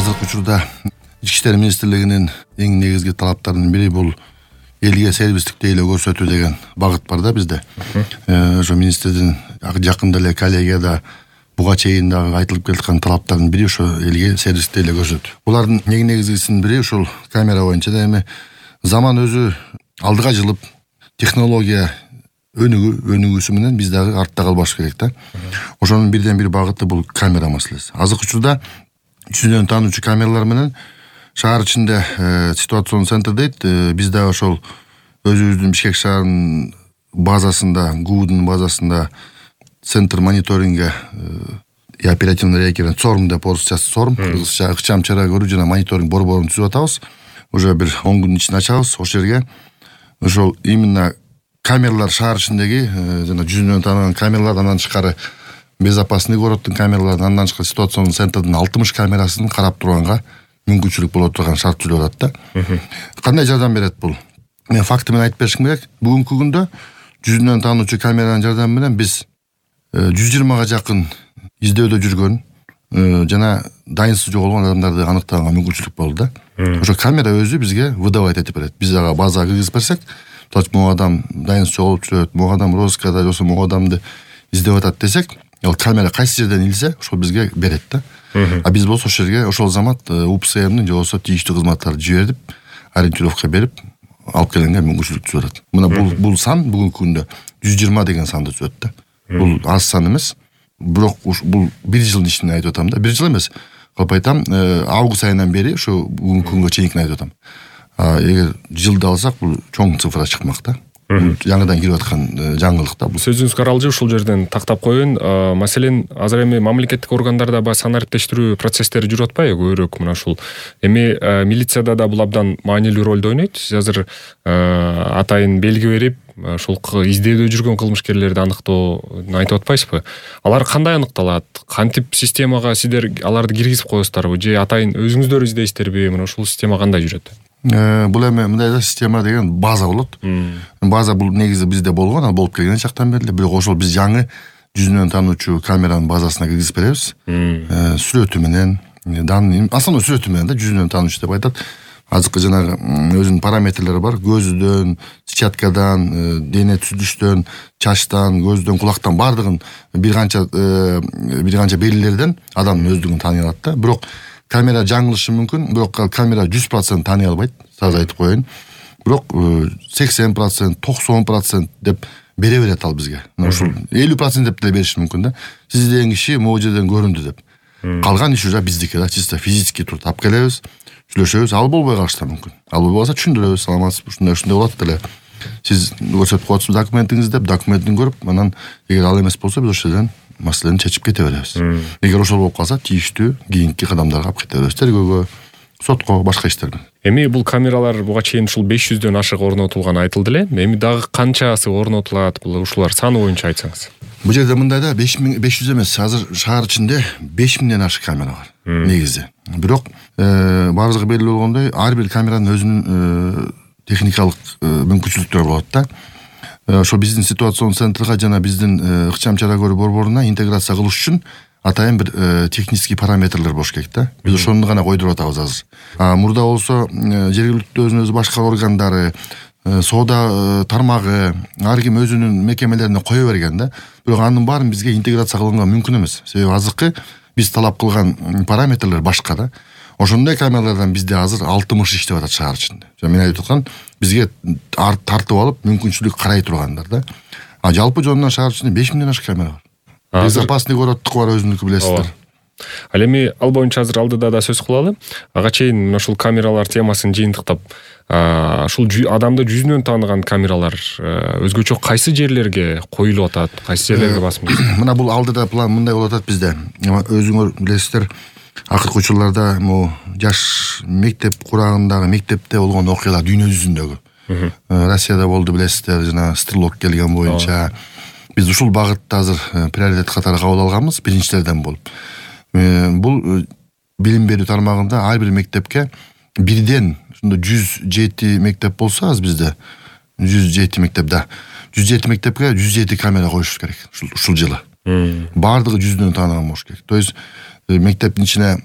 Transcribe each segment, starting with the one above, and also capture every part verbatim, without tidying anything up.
азыркы учурда Ички иштер министрлигинин эң негизги талаптарынын бири бул элге сервистик тейлөө көрсөтүү деген багыт бар да бизде. Ошо министрдин жакында эле коллегияда буга чейин дагы айтылып келаткан талаптардын бири ошо элге сервистик тейлөө көрсөтүү. Булардын эң негизгисинин бири ушул камера боюнча да эми заман өзү алдыга жылып, технология өнүгүү өнүгүүсү менен биз дагы артта калбаш керек да. Ошонун бирден бир багыты бул камера маселеси. Азыркы учурда жүзүнөн таануучу камералар менен шаар ичинде ситуацион центр дейт. Биз дагы ошол өзүбүздүн Бишкек шаарынын базасында, ГУдун базасында центр мониторинга и оперативно реагирование ЦОРМ деп орусча ЦОРМ, кыргызча ыкчам чара көрүү жана мониторинг борборун түзүп атабыз. Уже бир он күндүн ичинде ачабыз. Ошол жерге ошол именно камералар шаар ичиндеги жана жүзүнөн тааныган камералар, андан тышкары безопасный городдун камералары, андан тышкары ситуационный центрдин алтымыш камерасын карап турганга мүмкүнчүлүк боло турган шарт түзүлүп атат да. Кандай жардам берет бул? Мен факты менен айтып беришим керек. Бүгүнкү күндө жүзүнөн таануучу камеранын жардамы менен биз жүз жыйырмага жакын издөөдө жүргөн жана дайынсыз жоголгон адамдарды аныктаганга мүмкүнчүлүк болду да. Ошо камера өзү бизге выдавать этип берет. Биз ага базага киргизип берсек, могу адам дайынсыз жоголуп жүрөт, могу адам розыскада, жоксо могу адамды издеп атат десек, ал камера кайсы жерден илсе, ошол бизге берет да. А биз болсо ошол жерге ошол замат УПСМдин же болсо тийиштүү кызматтарды жиберип, ориентировка берип, алып келгенге мүмкүнчүлүк түзүп атат. Мына бул бул сан бүгүнкү күндө жүз жыйырма деген санды түзөт да. Бул аз сан эмес. Бирок бул бир жылдын ишин айтып атам да. Бир жыл эмес. Калп айтам, август айынан бери ошо бүгүнкү күнгө чейинкини айтып атам. Эгер жылды алсак, бул чоң цифра чыкмак да. Жаңыдан кирип аткан жаңылык да бул. Сөзүңүзгө аралжы ушул жерден тактап коеюн. Маселен, азыр эми мамлекеттик органдарда баягы санариптештирүү процесстери жүрүп атпайбы көбүрөөк мына ушул. Эми милицияда да бул абдан маанилүү ролду ойнойт. Сиз азыр атайын белги берип, ушул издөөдө жүргөн кылмышкерлерди аныктоону айтып атпайсызбы? Алар кандай аныкталат? Кантип системага сиздер аларды киргизип коесуздарбы же атайын өзүңүздөр издейсиздерби? Мына ушул система кандай жүрөт? Бул эми мындай да система деген база болот. База бул негизи бизде болгон, ал болуп келген чактан бери. Бирок ошол биз жаңы жүзүнөн таануучу камеранын базасына киргизип беребиз. Сүрөтү менен, данный, основной сүрөтү менен да жүзүнөн таануучу деп айтат. Азыркы жанагы өзүнүн параметрлери бар. Көзүдөн, сетчаткадан, дене түзүлүштөн, чачтан, көздөн, кулактан бардыгын бир канча бир канча белгилерден адамдын өздүгүн тааный алат да. Бирок камера жаңылышы мүмкүн, бирок камера жүз процент тааный албайт, сразу айтып коеюн. Бирок сексен процент, токсон процент деп бере берет ал бизге. Ушул элүү процент деп деле бериши мүмкүн да. Сиз деген киши могу жерден көрүндү деп. Калган иш уже биздики да, чисто физически туруп алып келебиз, сүйлөшөбүз, ал болбой калышы да мүмкүн. Ал болбой калса түшүндүрөбүз, саламатсызбы, ушундай ушундай болот деле. Сиз көрсөтүп коесузбу документиңизди деп, документин көрүп, анан эгер ал эмес болсо биз ошол жерден маселени чечип кете беребиз. Эгер ошол болуп калса, тийиштүү кийинки кадамдарга алып кете беребиз. Тергөөгө, сотко, башка иштерге. Эми бул камералар буга чейин ушул беш жүздөн ашык орнотулган айтылды эле. Эми дагы канчасы орнотулат? Бул ушулар саны боюнча айтсаңыз. Бул жерде мындай да беш жүз эмес, азыр шаар ичинде беш миңден ашык камера бар негизи. Бирок баарыбызга белгилүү болгондой, ар бир камеранын өзүнүн техникалык мүмкүнчүлүктөрү болот да. Ошо биздин ситуацион центрга жана биздин ыкчам чара көрүү борборуна интеграция кылыш үчүн атайын бир технический параметрлер болуш керек да. Биз ошону гана койдуруп атабыз азыр. Мурда болсо жергиликтүү өзүн өзү башкаруу органдары, соода тармагы, ар ким өзүнүн мекемелерине кое берген да. Бирок анын баарын бизге интеграция кылганга мүмкүн эмес. Себеби азыркы биз талап кылган параметрлер башка да. Ошондой камералардан бизде азыр алтымыш иштеп атат шаар ичинде. Мен айтып аткан, бизге тартып алып мүмкүнчүлүк карай тургандар да. А жалпы жонунан шаар ичинде беш миңден ашык камера бар. Безопасный городдук бар, өзүнүкү билесиздер. Ал эми ал боюнча азыр алдыда да сөз кылалы. Ага чейин ушул камералар темасын жыйынтыктап, ушул адамды жүзүнөн тааныган камералар өзгөчө кайсы жерлерге коюлуп атат, кайсы жерлерге басым жасалат? Мына бул алдыда план мындай болуп атат бизде. Өзүңөр билесиздер, акыркы учурларда могу жаш мектеп курагындагы мектепте болгон окуялар дүйнө жүзүндөгү. Россияда болду билесиздер, жана стрелок келген боюнча. Биз ушул багытта азыр приоритет катары кабыл алганбыз, биринчилерден болуп. Бул билим берүү тармагында ар бир мектепке бирден ушунда жүз жети мектеп болсо, аз бизде жүз жети мектеп да. жүз жети мектепке жүз жети камера коюш керек ушул жылы. Бардыгы жүздөн таанаган болуш керек. То есть мектептин ичине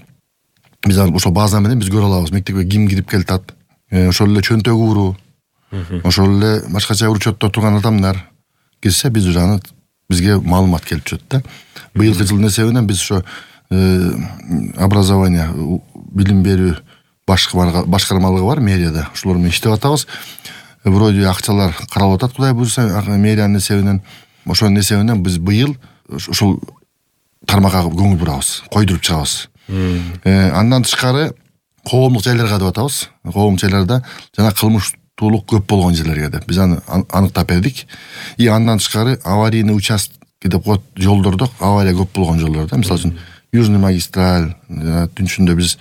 биз ошол база менен биз көрө алабыз мектепке ким кирип келатат, ошол эле чөнтөгү уруу, ошол эле башкача учетто турган адамдар кирсе биз уже аны бизге маалымат келип түшөт да. Быйылкы жылдын эсебинен биз ошо образование, билим берүү башкармалыгы бар мэрияда, ошолор менен иштеп атабыз. Вроде акчалар каралып атат, Кудай буйрса, мэриянын эсебинен. Ошонун эсебинен биз быйыл ошол тармакка көңүл бурабыз, койдуруп чыгабыз. Андан тышкары коомдук жайларга деп атабыз. Коомдук жайларда жана кылмыштуулук көп болгон жерлерге деп биз аны аныктап бердик. И андан тышкары аварийный участок деп коет, жолдордо авария көп болгон жолдордо. Мисалы үчүн Южный магистраль, түнчүндө биз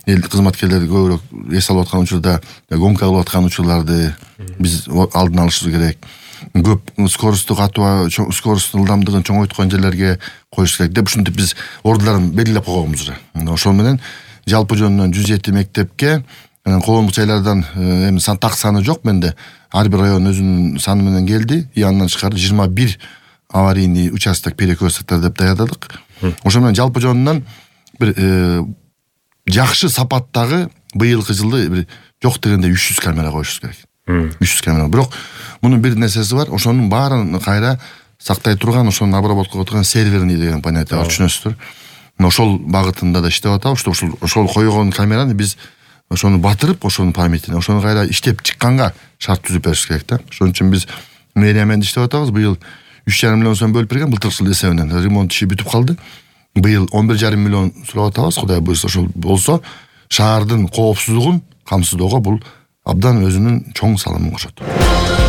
эл кызматкерлер көбүрөөк эс алып аткан учурда, гонка кылып аткан учурларды биз алдын алышыбыз керек. Көп скоросттук атуу, скоросттун ылдамдыгын чоңойткон жерлерге коюш керек деп ушинтип биз ордуларын белгилеп койгонбуз уже. Ошол менен жалпы жөнүнөн жүз жети мектепке, коомдук жайлардан эми так саны жок менде, ар бир район өзүнүн саны менен келди. И андан тышкары жыйырма бир аварийный участок, перекресттер деп даярдадык. Ошол менен жалпы жөнүнөн бир жакшы сапаттагы быйылкы жылды бир жок дегенде үч жүз камера коюшубуз керек. үч жүз камера. Бирок мунун бир нерсеси бар, ошонун баарын кайра сактай турган, ошону обработка турган серверный деген понятие бар, түшүнөсүздөр. Ошол багытында да иштеп атабыз. Ошол ошол койгон камераны биз ошону батырып, ошонун памятине, ошону кайра иштеп чыкканга шарт түзүп бериш керек да. Ошон үчүн биз мэрия менен иштеп атабыз. Быйыл үч жарым миллион сом бөлүп берген, былтыркы жыл эсебинен ремонт иши бүтүп калды. Быйыл он бир жарым миллион сурап атабыз. Кудай буйрса ошол болсо, шаардын коопсуздугун камсыздоого бул абдан өзүнүн чоң салымын кошот.